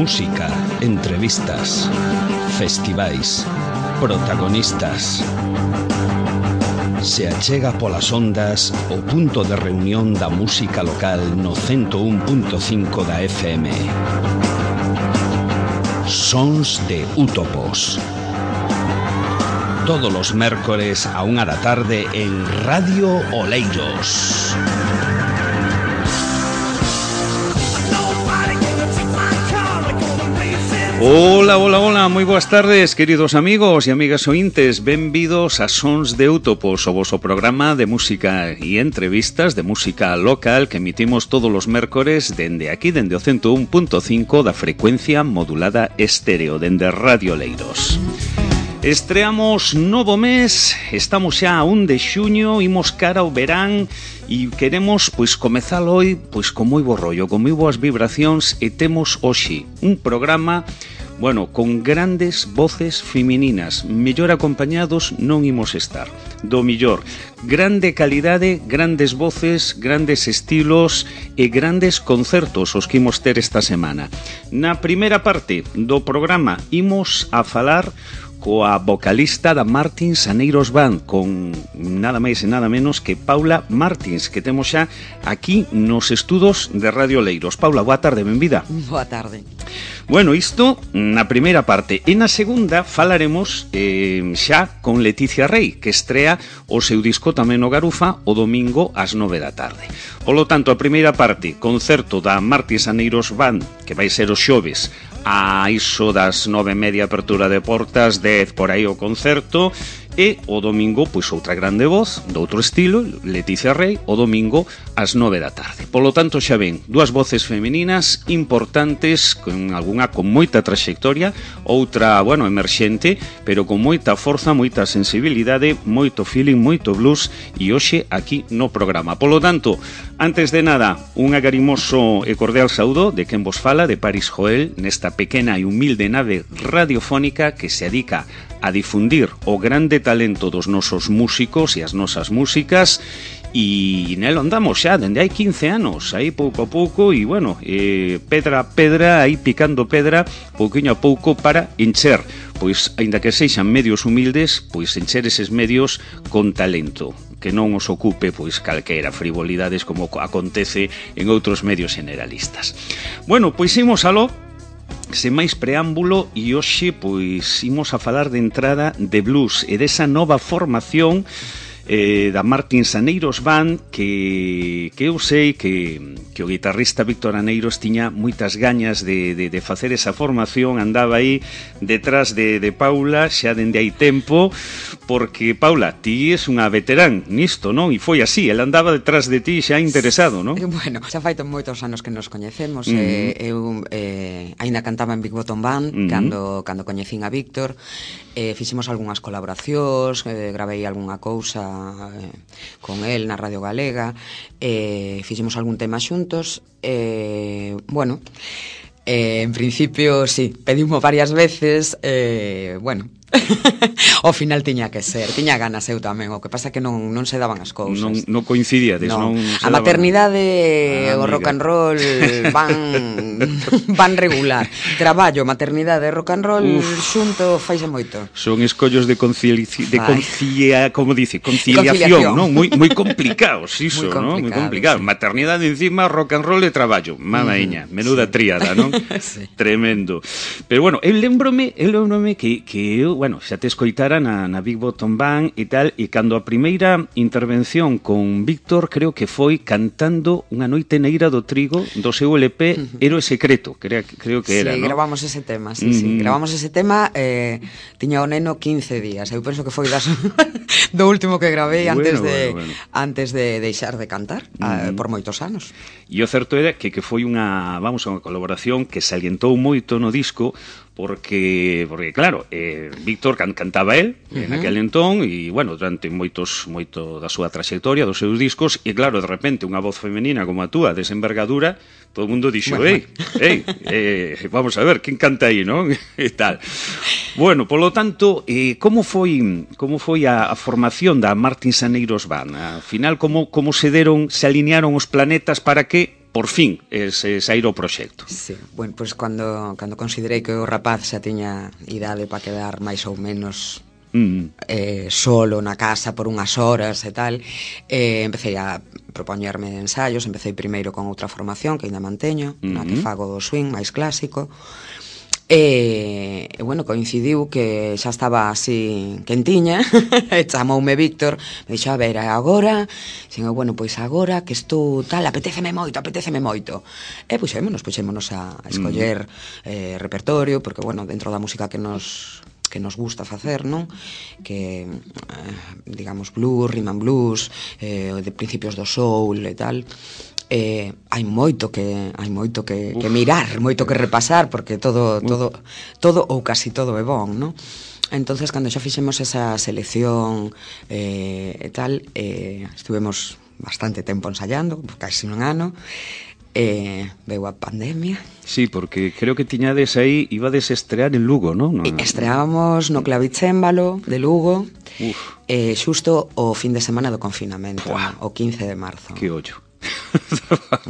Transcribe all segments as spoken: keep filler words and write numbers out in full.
Música, entrevistas, festivais, protagonistas. Se achega polas ondas o punto de reunión da música local no ciento un punto cinco da F M. Sons de Útopos. Todos los mércores a unha da tarde en Radio Oleiros. Hola, hola, hola, moi boas tardes, queridos amigos e amigas ointes. Benvidos a Sons de Útopos, o voso programa de música e entrevistas de música local que emitimos todos os mércores dende aquí, dende o ciento un punto cinco da frecuencia modulada estéreo, dende Radio Oleiros. Estreamos novo mes, estamos xa a un de xuño, imos cara ao verán e queremos pois comezar hoy pois con moi bo rollo, con moi boas vibracións, e temos hoxe un programa, bueno, con grandes voces femininas. Mellor acompañados non imos estar. Do millor, grande calidade, grandes voces, grandes estilos e grandes concertos os que imos ter esta semana. Na primeira parte do programa imos a falar coa vocalista da Martins Aneiros Band, con nada máis e nada menos que Paula Martins, que temos xa aquí nos estudos de Radio Oleiros. Paula, boa tarde, benvida. Boa tarde. Bueno, isto na primeira parte. E na segunda falaremos eh, xa con Leticia Rey, que estrea o seu disco tamén no Garufa o domingo ás nove da tarde. Polo tanto, a primeira parte, concerto da Martins Aneiros Band, que vai ser os xoves a iso das nove e media, apertura de portas, dez por aí o concerto, e o domingo, pois outra grande voz, de outro estilo, Leticia Rey, o domingo ás nove da tarde. Polo tanto, xa ven, dúas voces femininas importantes, con algunha con moita trayectoria, outra, bueno, emerxente, pero con moita forza, moita sensibilidade, moito feeling, moito blues, e hoxe aquí no programa. Polo tanto, antes de nada, un agarimoso e cordial saúdo de quen vos fala, de Paris Joel, nesta pequena e humilde nave radiofónica que se dedica a difundir o grande talento dos nosos músicos e as nosas músicas, e nelo andamos xa dende hai quince anos, aí pouco a pouco, e bueno, eh, pedra a pedra, aí picando pedra, pouquiño a pouco para encher, pois, aínda que sexan medios humildes, pois encher eses medios con talento, que non os ocupe pois calquera frivolidades como acontece en outros medios generalistas. Bueno, pois imos aló, sen máis preámbulo, e hoxe pois imos a falar de entrada de blues e desa nova formación eh, da Martins Aneiros Band, que, que eu sei que, que o guitarrista Víctor Aneiros tiña moitas gañas de, de, de facer esa formación, andaba aí detrás de, de Paula xa dende hai tempo, porque Paula, ti és unha veterán nisto, non? E foi así, ela andaba detrás de ti xa interesado, non? Bueno, xa fai moitos anos que nos coñecemos. uh-huh. eh, eu eh, aínda cantaba en Big Bottom Band uh-huh. cando, cando coñecín a Víctor. eh, fixemos algunhas colaboracións, eh, gravei algunha cousa eh, con el na Radio Galega, eh, fixemos algún tema xuntos. eh, bueno eh, en principio, sí, pedimos varias veces, eh, bueno ao final tiña que ser, tiña ganas eu tamén, o que pasa que non, non se daban as cousas. Non, non coincidíades, non, non a maternidade, ah, o rock and roll van van regular. Traballo, maternidade e rock and roll Uf, xunto faixe moito. Son escollos de conciliación, de concilia, como dice, conciliación, non? Moi moi complicados, iso, non? Moi complicado. Sí. Maternidade encima, rock and roll e traballo. Mamaeña, mm, menuda sí. tríada, non? Sí. Tremendo. Pero bueno, eu lembrome, eu lembrome que que eu, bueno, xa te escoitara na, na Big Bottom Band e tal, e cando a primeira intervención con Víctor, creo que foi cantando Unha noite neira do trigo do seu L P uh-huh. Héroe secreto, creo, creo que era, sí, ¿no? Sí, gravamos ese tema, sí, uh-huh. sí, gravamos ese tema, eh, tiña o neno quince días, eu penso que foi das do último que gravei bueno, antes de bueno, bueno. antes de deixar de cantar, uh-huh. eh, por moitos anos. E o certo era que, que foi unha, vamos, unha colaboración que salientou moito no disco, porque, porque claro, eh, Víctor can, cantaba él uh-huh. en aquel entón, e, bueno, durante moitos, moito da súa trayectoria, dos seus discos, e, claro, de repente, unha voz femenina como a túa, desa envergadura, todo o mundo dixo, bueno, ei, bueno. ei, eh, vamos a ver, quen canta aí, non? E tal. Bueno, polo tanto, eh, como foi como foi a, a formación da Martins Aneiros Band? Al final, como, como se deron, se alinearon os planetas para que por fin ese sair o proxecto. Sí, bueno, pois pues cando, cando considerei que o rapaz xa tiña idade para quedar máis ou menos mm. eh, solo na casa por unhas horas e tal, eh, empecé a propoñerme ensaios, empecé primeiro con outra formación que ainda manteño, mm-hmm. na que fago swing máis clásico. E, e bueno, coincidiu que xa estaba así quentiña e chamoume Víctor, me dixo, a ver, agora xin, bueno, pois agora que estou tal, apetéceme moito, apetéceme moito e puxémonos, puxémonos a escoller mm. eh, repertorio, porque bueno, dentro da música que nos que nos gusta facer, non? Que, eh, digamos, blues, rhythm and blues, eh, de principios do soul e tal. Eh, hai moito que hai moito que, que mirar, moito que repasar, porque todo todo todo ou casi todo é bon, non? Entonces, cando xa fixemos esa selección eh, e tal, eh, estuvemos bastante tempo ensayando, casi un ano. Eh, veu a pandemia. Sí, porque creo que tiñades aí, ibades estrear en Lugo, non? No, Estreábamos no Clavicémbalo de Lugo, eh, xusto o fin de semana do confinamento, Buah. o quince de marzo. Que ollo.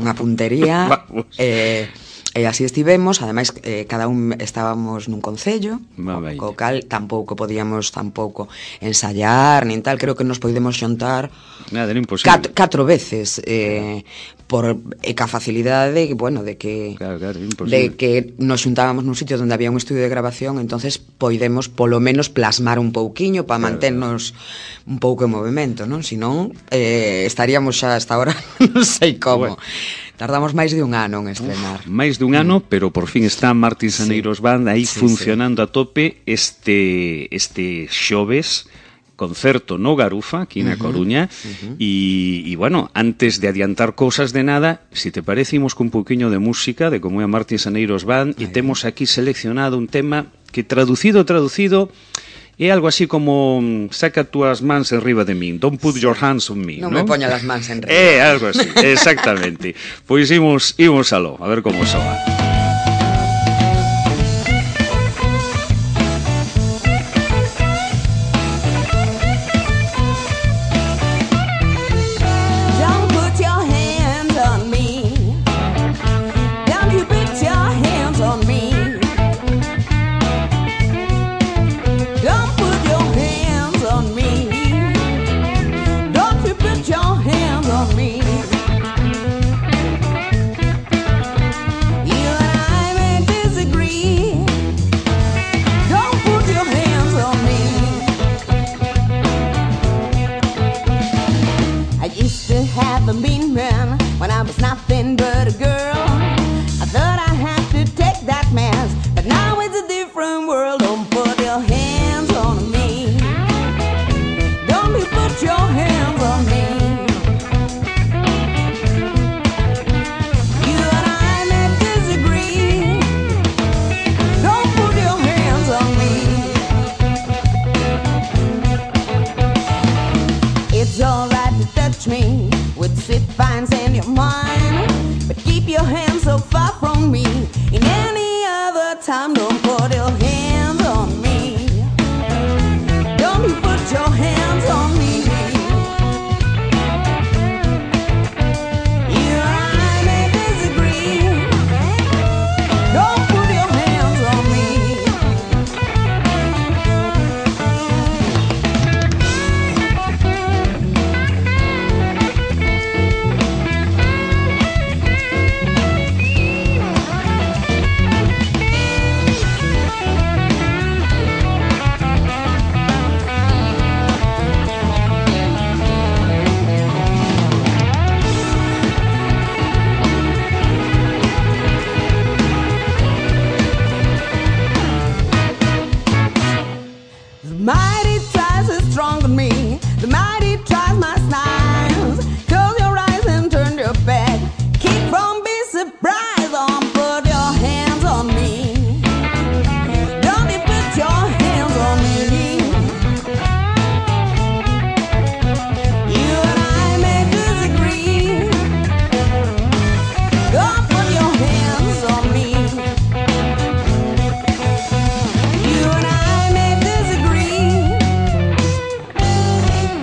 Unha puntería. eh, E así estivemos, ademais eh, cada un estábamos nun concello, co cal tampouco podíamos tampouco ensayar, nin tal, creo que nos podemos xuntar Nada, era imposible. Cat, catro veces, eh, por e ca facilidade de, bueno, de que claro, claro, de que nos xuntábamos nun sitio onde había un estudio de grabación, entonces poidemos polo menos plasmar un pouquiño para claro, manternos claro. un pouco en movimento, non? Senón eh, estaríamos xa hasta ahora non sei como. Bueno. Tardamos máis de un ano en estrenar. Uf, máis de un ano, pero por fin está Martín Saneiros sí. Band aí sí, funcionando sí. a tope este este xoves concerto no Garufa, aquí na uh-huh, Coruña, uh-huh. e, e bueno, antes de adiantar cousas de nada, si te parece, imos cun pouquiño de música de como é Martín Saneiros Band, e temos aquí seleccionado un tema que traducido, traducido, é algo así como saca túas mans enriba de min, don't put your hands on me, non ¿no? me poña las mans enriba. É algo así, exactamente. Pois imos, imos aló, a ver como soa.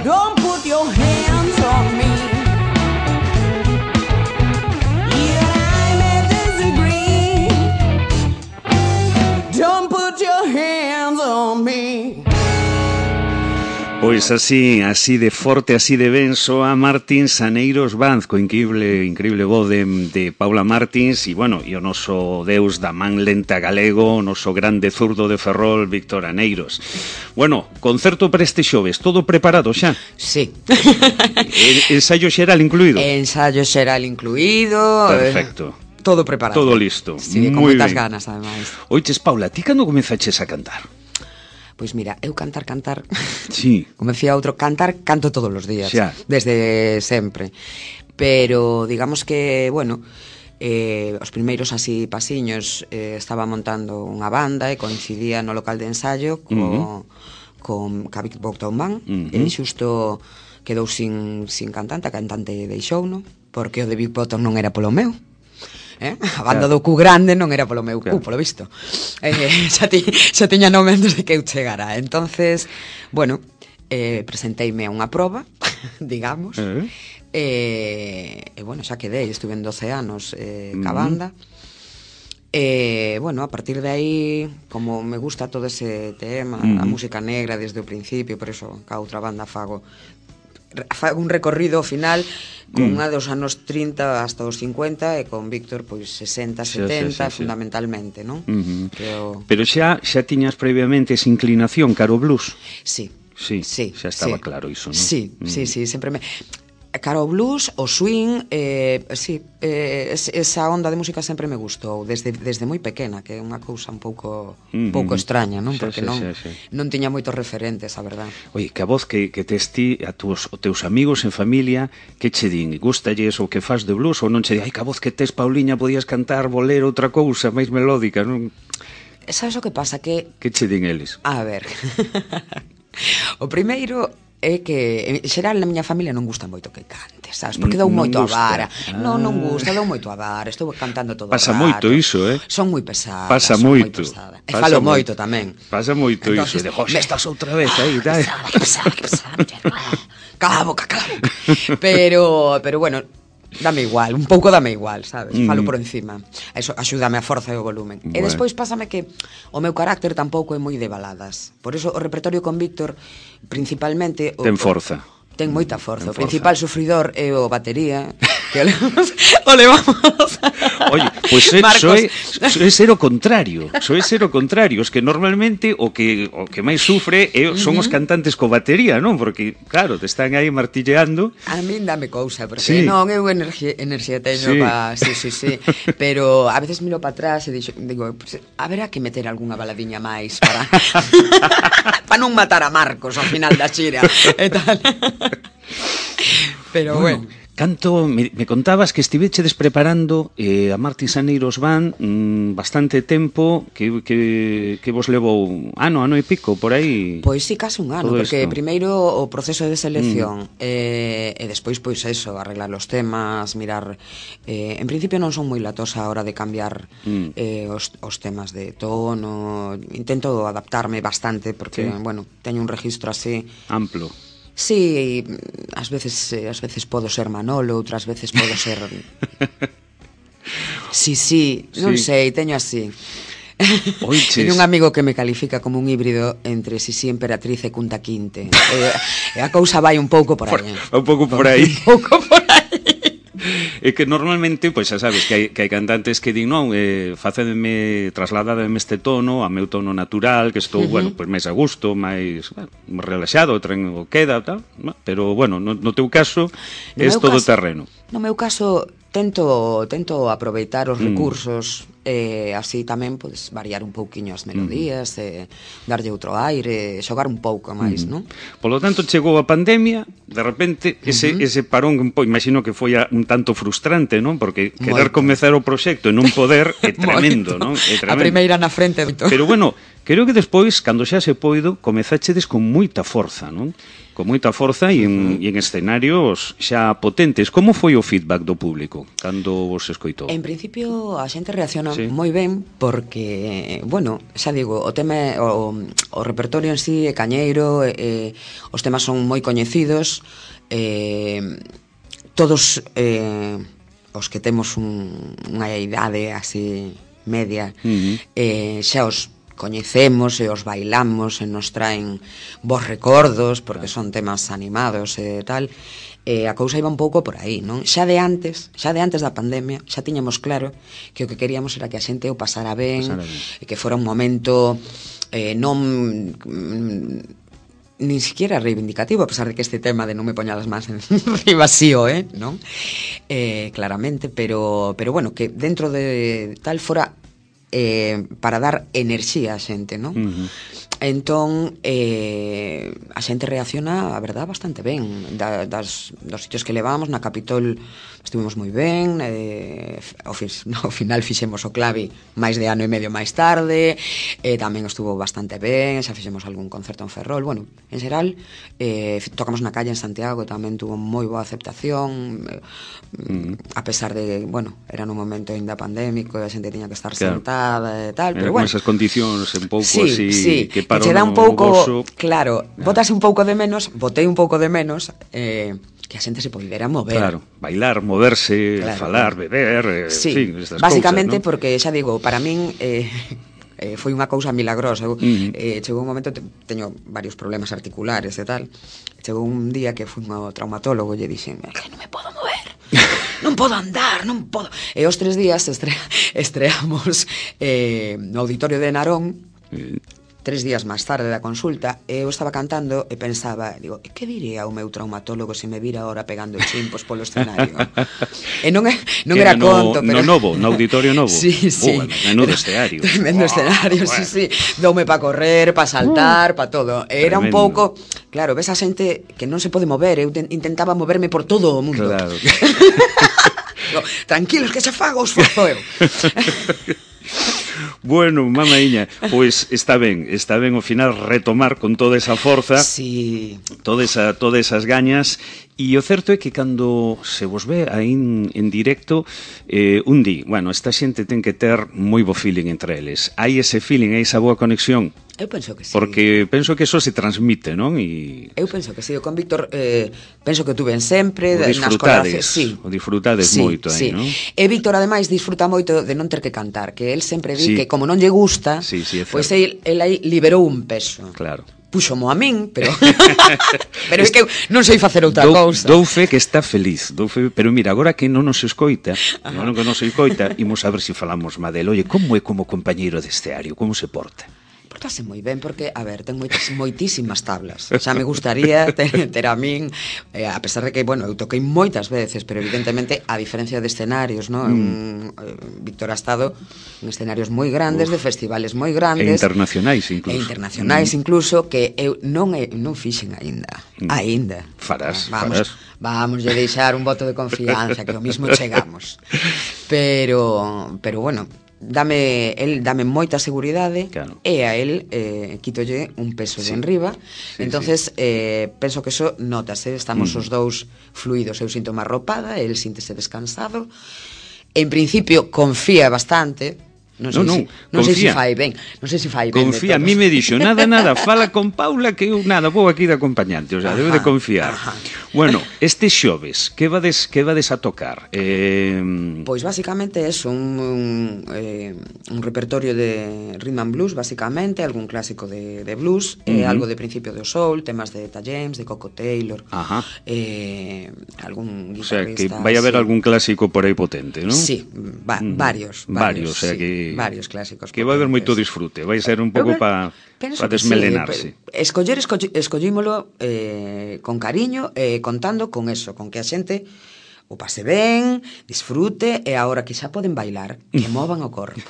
Don't put your hands Pois así, así de forte, así de ben soa Martins Aneiros Band, co increíble, increíble voz de, de Paula Martins, e, bueno, e o noso deus da man lenta galego, o noso grande zurdo de Ferrol, Víctor Aneiros. Bueno, concerto para este xoves, todo preparado xa? Sí. Ensaio xeral incluído? Ensaio xeral incluído. Perfecto. Eh, todo preparado. Todo listo. Sí, con Muy moitas bien. ganas, ademais. Oiches, Paula, ti cando comezaches a cantar? Pois mira, eu cantar, cantar, sí. como decía outro, cantar, canto todos os días, xa. Desde sempre. Pero, digamos que, bueno, eh, os primeiros así pasiños, eh, estaba montando unha banda e coincidía no local de ensayo co, uh-huh. con Big Bottom Band, uh-huh. e xusto quedou sin, sin cantante, a cantante deixouno, porque o de Big Bottom non era polo meu. Eh? A banda claro. do cu grande non era polo meu claro. cu, polo visto. Eh, xa, ti, xa tiña nome antes de que eu chegara. Entonces, bueno, eh, presenteime a unha proba, digamos, uh-huh. e, e, bueno, xa quedei, estuve en doce anos eh, ca banda. E, bueno, a partir de aí, como me gusta todo ese tema, uh-huh. a música negra desde o principio, por eso ca outra banda fago fago un recorrido final con mm. unha dos anos trinta hasta os cincuenta e con Víctor pois sesenta, setenta, sí, sí, sí, fundamentalmente, non? Uh-huh. Pero... Pero xa xa tiñas previamente esa inclinación caro blues? Sí. Sí, sí xa estaba sí. claro iso, non? Sí, mm. sí, sí, sempre me... Caro blues, o swing, eh, sí, eh, esa onda de música sempre me gustou, desde, desde moi pequena, que é unha cousa un pouco mm-hmm. pouco extraña, non? Porque sí, sí, non, sí, sí. non tiña moitos referentes, a verdad. Oye, que a voz que, que tes ti, a tus, os teus amigos en familia, que che din? Gústalles o que faz de blues ou non che di, ai, que a voz que tes, Pauliña, podías cantar bolero, outra cousa, máis melódica, non? Sabes o que pasa? Que... Que che din eles? A ver... o primeiro... é que, en xeral, na miña familia non gusta moito que cante, sabes? Porque dou moito a vara. Ah. Non, non gusta, dou moito a vara. Estou cantando todo o rato. Pasa moito iso, eh? Son moi pesada. Pasa moito. E falo moito tamén. Pasa moito iso. De, "Joxe, estás outra vez aí, dai." Que pesada, que pesada, que pesada. Cala a boca, cala a boca. Pero, pero bueno, dame igual, un pouco dame igual, sabes? Mm. Falo por encima. Eso axúdame a forza e o volumen. Bueno. E despois pásame que o meu carácter tampouco é moi de baladas. Por eso o repertorio con Víctor principalmente o, ten forza. Ten moita forza. O principal sufridor é o batería, que o levamos, o levamos. Oye, pois pues soe, soe ser o contrario, soe ser o contrario, es que normalmente o que o que máis sufre é, son uh-huh. os cantantes co batería, non? Porque claro, te están aí martilleando. A min dame cousa, porque sí. non eu enerxía, enerxía teño sí. pa, sí, sí, sí, pero a veces miro para atrás e dixo, digo, pues, haberá que meter algunha baladiña máis para para non matar a Marcos ao final da xira e tal. Pero bueno, bueno. Canto, me, me contabas que estivechedes preparando eh, a Martins Aneiros Band mm, bastante tempo, que, que, que vos levou ano, ano e pico, por aí. Pois sí, case un ano, porque esto. Primeiro o proceso de selección mm. eh, e despois pois eso, arreglar os temas, mirar eh, en principio non son moi latosa a hora de cambiar mm. eh, os, os temas de tono, intento adaptarme bastante porque, sí. bueno, teño un registro así amplo. Sí, ás veces ás veces podo ser Manolo, outras veces podo ser Sí, sí, non sí. sei, teño así. Teño un amigo que me califica como un híbrido entre Sisi Emperatriz e Kunta Kinte. E, e a cousa vai un pouco por aí. Un pouco por aí. Un pouco por aí. É que normalmente, pois xa sabes, que hai, que hai cantantes que din, non, eh, facedeme, trasladademe este tono a meu tono natural, que estou, uh-huh. bueno, pois máis a gusto, máis, bueno, relaxado, o tren o queda, tal, pero, bueno, no, no teu caso, é todo caso, terreno. No meu caso, tento tento aproveitar os mm. recursos e eh, así tamén podes variar un pouquiño as melodías, mm. eh, darlle outro aire, xogar un pouco máis, mm. non? Polo tanto, chegou a pandemia, de repente, ese, mm-hmm. ese parón, imagino que foi un tanto frustrante, non? Porque querer moito. Comezar o proxecto e non poder é tremendo, non? É tremendo. A primeira na frente. Pero bueno, creo que despois, cando xa se poido, comezachedes con moita forza, non? Con moita forza e en, uh-huh. e en escenarios xa potentes. Como foi o feedback do público cando vos escoitou? En principio a xente reacciona sí. moi ben porque, bueno, xa digo, o tema o, o repertorio en sí é cañeiro, eh, os temas son moi coñecidos, eh, todos eh, os que temos un, unha idade así media, uh-huh. eh, xa os coñecemos e os bailamos e nos traen bons recordos porque son temas animados e tal, e a cousa iba un pouco por aí, non? Xa de antes, xa de antes da pandemia, xa tiñamos claro que o que queríamos era que a xente o pasara ben, pasara ben. E que fora un momento eh, non nin siquiera reivindicativo, a pesar de que este tema de non me poña las mans encima sí o, eh, non? Eh, claramente, pero, pero bueno, que dentro de tal fora eh, para dar enerxía a xente, non? Uh-huh. Entón, eh, a xente reacciona, a verdad, bastante ben. Da, das, dos sitios que levamos, na Capitol estuvimos moi ben, eh, ao, fin, no, ao final fixemos o clavi máis de ano e medio máis tarde, eh, tamén estuvo bastante ben, xa fixemos algún concerto en Ferrol, bueno, en xeral, eh, tocamos na calle en Santiago, tamén tuvo moi boa aceptación, eh, mm. a pesar de, bueno, era nun momento ainda pandémico, a xente tiña que estar claro. sentada e tal, era pero bueno. Con esas condicións un pouco sí, así, sí. que para che dá un pouco, gozo... claro, yeah. botase un pouco de menos, botei un pouco de menos, eh, que a xente se poidera mover. Claro, bailar, moverse, claro, falar, claro. beber, sí, en fin, estas básicamente cousas, ¿no? Porque xa digo, para min eh, eh, foi unha cousa milagrosa. Eu, uh-huh. eh, chegou un momento, te, teño varios problemas articulares e tal. Chegou un día que fui ao traumatólogo e lle dixen, que non me podo mover. Non podo andar, non podo. E os tres días estre estreamos eh, no auditorio de Narón. Uh-huh. Tres días máis tarde da consulta, eu estaba cantando e pensaba, digo, e que diría o meu traumatólogo se me vira ahora pegando chimpos polo escenario? E non, é, non era no, conto, pero... No novo, no auditorio novo. Sí, sí. Oh, menudo escenario. Tremendo oh, escenario, bueno. sí, sí. Doume pa correr, pa saltar, uh, pa todo. E era un pouco... Claro, ves a xente que non se pode mover, eu intentaba moverme por todo o mundo. Claro. Digo, tranquilos que xa fago os fozo eu. Bueno, mamaíña, pois está ben, está ben ao final retomar con toda esa forza, sí. toda esa, todas esas gañas, e o certo é que cando se vos ve aí en, en directo, eh, un di, bueno, esta xente ten que ter moi bo feeling entre eles, hai ese feeling, hai esa boa conexión. Eu penso que sí. Porque penso que eso se transmite, non? E... Eu penso que sí, con Víctor eh, penso que tuven sempre o disfrutades, nas sí. o disfrutades sí, moito aí, sí. non? E Víctor ademais disfruta moito de non ter que cantar, que él sempre di sí. que como non lle gusta, sí, sí, pois pues el, el aí liberou un peso. Claro. Puxomo a min, pero pero é que eu non sei facer outra dou, cousa. Dou fe que está feliz, dou fe, pero mira, agora que non nos escoita, non que non se escoita, imos a ver se si falamos Madel. Oye, como é como compañeiro de esteario, como se porta? Portase moi ben, porque, a ver, ten moitas, moitísimas tablas. Xa me gustaría ter, ter a min, eh, a pesar de que, bueno, eu toquei moitas veces, pero evidentemente, a diferencia de escenarios, ¿no? Mm. Un, eh, Víctor ha estado en escenarios moi grandes, Uf. de festivales moi grandes. E internacionais, incluso. E internacionais, mm. incluso, que eu non, e, non fixen aínda. Mm. Aínda. Farás, vamos, farás. Vamos a deixar un voto de confianza, que o mismo chegamos. Pero, pero bueno... dame el dame moita seguridade claro. e a el eh, quítolle un peso sí. de enriba sí, entonces sí. Eh, penso que eso notase, estamos mm. os dous fluidos, eu sinto máis arropada, el síntese descansado, en principio confía bastante. Non sei, no, no, si, non sei se fai ben, non sei se fai ben. Confía, a mí me dixo, nada, nada, fala con Paula que eu nada, vou aquí de acompañante, o sea, ajá, debe de confiar. Ajá. Bueno, este xoves, que vades que vades a tocar? Eh... Pois basicamente é un, un, eh, un repertorio de rhythm and blues, basicamente, algún clásico de, de blues, uh -huh. eh, algo de principio do soul, temas de Etta James, de Coco Taylor, ajá. Eh, algún guitarrista. O sea, que vai a haber sí. algún clásico por aí potente, non? Sí, va, mm. varios, varios, varios, o sea sí. que varios clásicos. Que vai haber moito disfrute, vai ser un pouco para pa desmelenarse. Sí, escoller esco, escollímolo eh, con cariño, eh, contando con eso, con que a xente o pase ben, disfrute, e agora que xa poden bailar, que movan o corpo.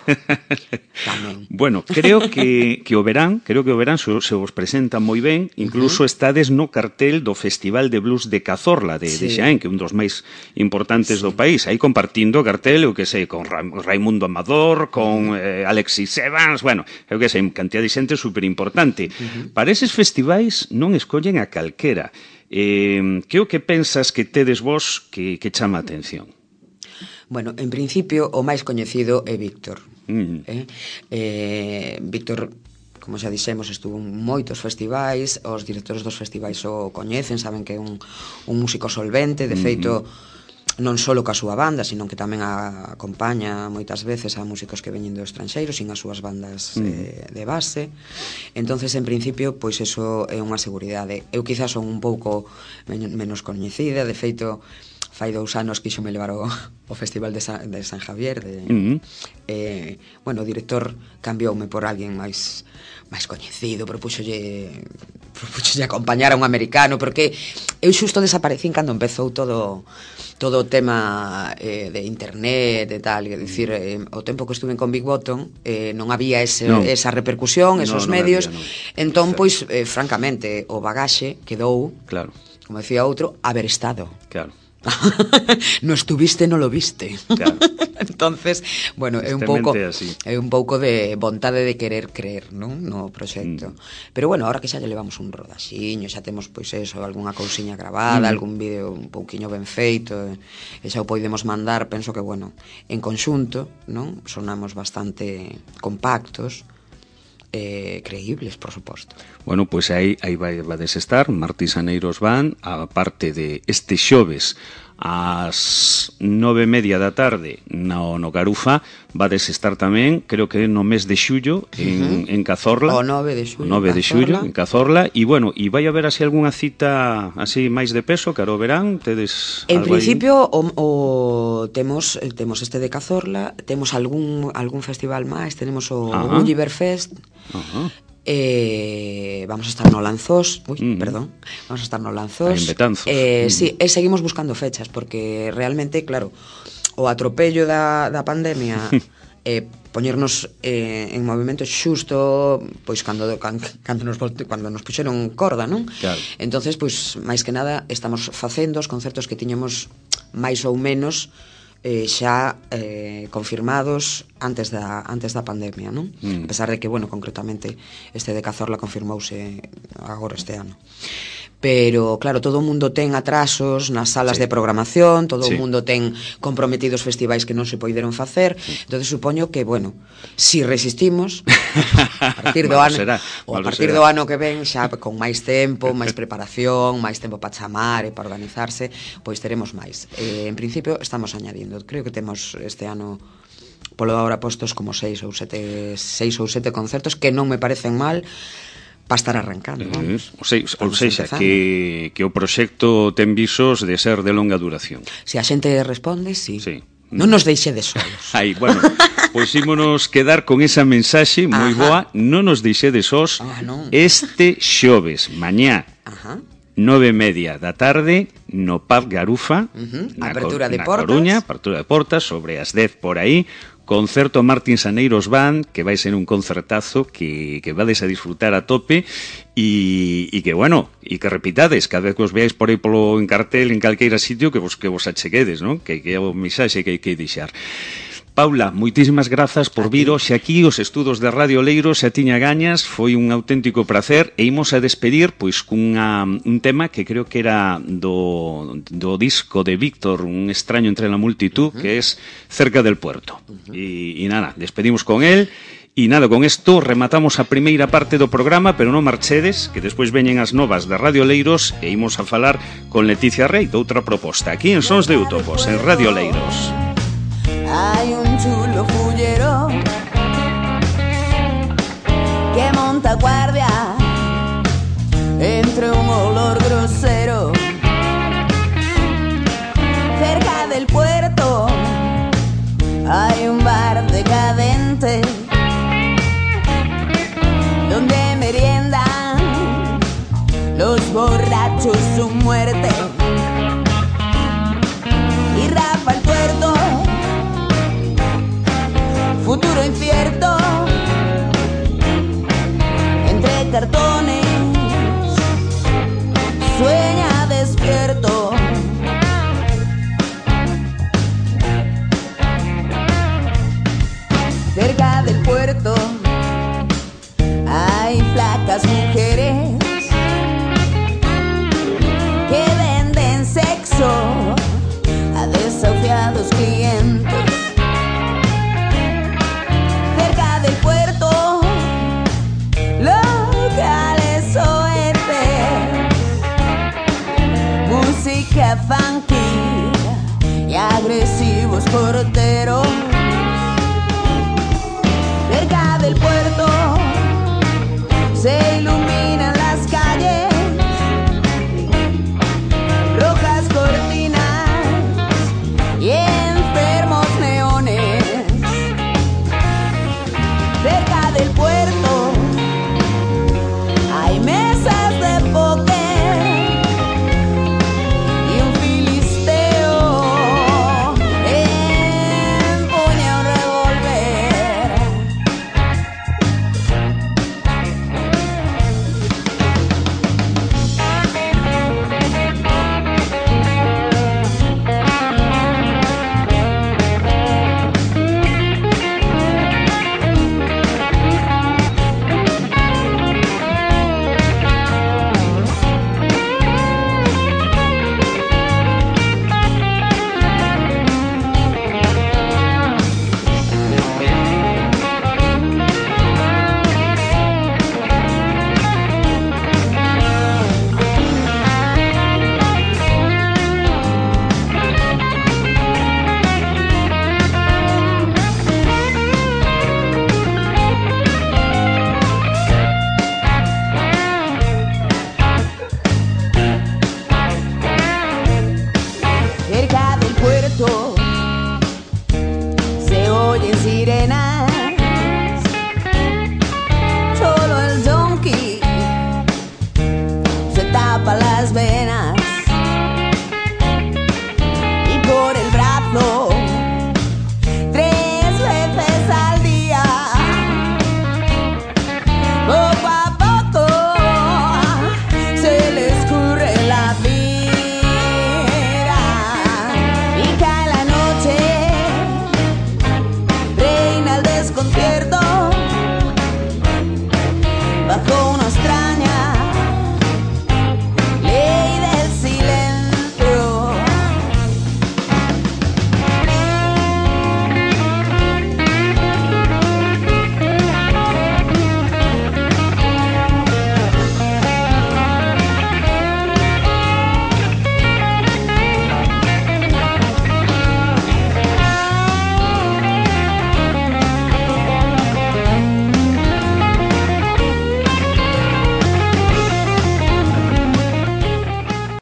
Tamén. Bueno, creo que, que o verán, creo que o verán se, se vos presenta moi ben, incluso uh -huh. estades no cartel do Festival de Blues de Cazorla, de, sí. de Xaén, que é un dos máis importantes sí. do país, aí compartindo cartel, eu que sei, con Ra Raimundo Amador, con eh, Alexis Evans, bueno, eu que sei, cantidad de xente superimportante. Uh -huh. Para eses festivais non escollen a calquera. Eh, que o que pensas que tedes vos que, que chama a atención? Bueno, en principio o máis coñecido é Víctor. Mm. eh? Eh, Víctor, como xa dixemos, estuvo en moitos festivais, os directores dos festivais o coñecen, saben que é un, un músico solvente, de feito, mm. non só ca súa banda, sino que tamén a, acompaña moitas veces a músicos que veñen do estranxeiro sin as súas bandas mm. eh, de base. Entonces, en principio, pois eso é unha seguridade. Eu quizás son un pouco men menos coñecida, de feito fai dous anos quixo me levar o, o Festival de San, de San Javier de, mm. eh, bueno, o director cambioume por alguén máis máis coñecido, propúxolle propúxolle acompañar a un americano, porque eu xusto desaparecín cando empezou todo todo o tema eh, de internet e tal, é dicir, eh, o tempo que estuve con Big Bottom eh, non había ese, no. esa repercusión, esos no, no medios, había, no. Entón, pois, eh, francamente, o bagaxe quedou, claro. Como decía outro, haber estado. Claro. No estuviste, non lo viste. Claro. Entonces, bueno, é un pouco é un pouco de vontade de querer creer, non, no proxecto. Mm. Pero bueno, ahora que xa lle levamos un rodaxiño, xa temos pois eso, algunha cousiña grabada, mm. algún vídeo un pouquiño ben feito, e xa o podemos mandar, penso que bueno, en conxunto, non? Sonamos bastante compactos. Eh, creíbles, por suposto. Bueno, pois pues aí, aí vai, vades estar, Martins Aneiros Band, a parte de este xoves ás nove e media da tarde no, no Garufa, vades estar tamén, creo que no mes de xullo en, uh-huh. en Cazorla, o nove de xullo, o nove de xullo en Cazorla, e bueno, e vai haber así algunha cita así máis de peso, caro verán, tedes en principio o, o temos temos este de Cazorla, temos algún algún festival máis, tenemos o uh-huh. Gulliver Fest. Uh-huh. Eh, vamos a estar no Lanzós, uy, uh-huh. perdón, vamos a estar no Lanzós. En Betanzos. Eh, uh-huh. Sí, e seguimos buscando fechas porque realmente, claro, o atropello da, da pandemia eh, poñernos eh, en movimento xusto pois cando cando nos cando nos puxeron corda, non? Claro. Entonces, pois máis que nada estamos facendo os concertos que tiñamos máis ou menos Eh, xa eh, confirmados antes da antes da pandemia, non? Mm. A pesar de que, bueno, concretamente este de Cazorla confirmouse agora este ano. Pero, claro, todo o mundo ten atrasos nas salas sí. de programación, todo sí. o mundo ten comprometidos festivais que non se poideron facer, sí. entonces supoño que, bueno, si resistimos, a partir do ano, será, ou a partir será. do ano que ven, xa con máis tempo, máis preparación, máis tempo para chamar e para organizarse, pois teremos máis. Eh, en principio, estamos añadindo, creo que temos este ano polo ahora postos como seis ou sete seis ou sete concertos que non me parecen mal para estar arrancando, vamos. Eh, ou seja, ou seja que, que o proxecto ten visos de ser de longa duración. Se a xente responde, sí. Sí. Non nos deixe de solos. Aí, bueno, pois ímonos quedar con esa mensaxe moi boa, non nos deixe de sós ah, non. Este xoves, mañá, Ajá. nove e media da tarde, no Pub Garufa, uh-huh. na, apertura de na portas. Coruña, apertura de portas, sobre as dez por aí, concerto Martins Aneiros Band, que vai ser un concertazo que, que vades a disfrutar a tope e, e que, bueno, e que repitades cada vez que os veáis por aí polo en cartel en calqueira sitio que vos, que vos acheguedes, non? Que, que é o mensaxe que hai que deixar. Paula, moitísimas grazas por vir hoxe aquí os estudos de Radio Leiro, xa tiña gañas, foi un auténtico prazer e imos a despedir pois cunha, un tema que creo que era do, do disco de Víctor, Un extraño entre la multitud, uh-huh. que es Cerca del puerto. Uh-huh. E, e nada, despedimos con él. E nada, con isto rematamos a primeira parte do programa, pero non marchedes, que despois veñen as novas de Radio Leiros e imos a falar con Leticia Rey de outra proposta, aquí en Sons de Utopos, en Radio Leiros. Hay un chulo fullero que monta guardia entre un olor grosero. Cerca del puerto hay un bar decadente donde meriendan los borrachos su muerte. Y Rafa el Tuerto, futuro incierto, entre cartones, sueña de agresivos porteros.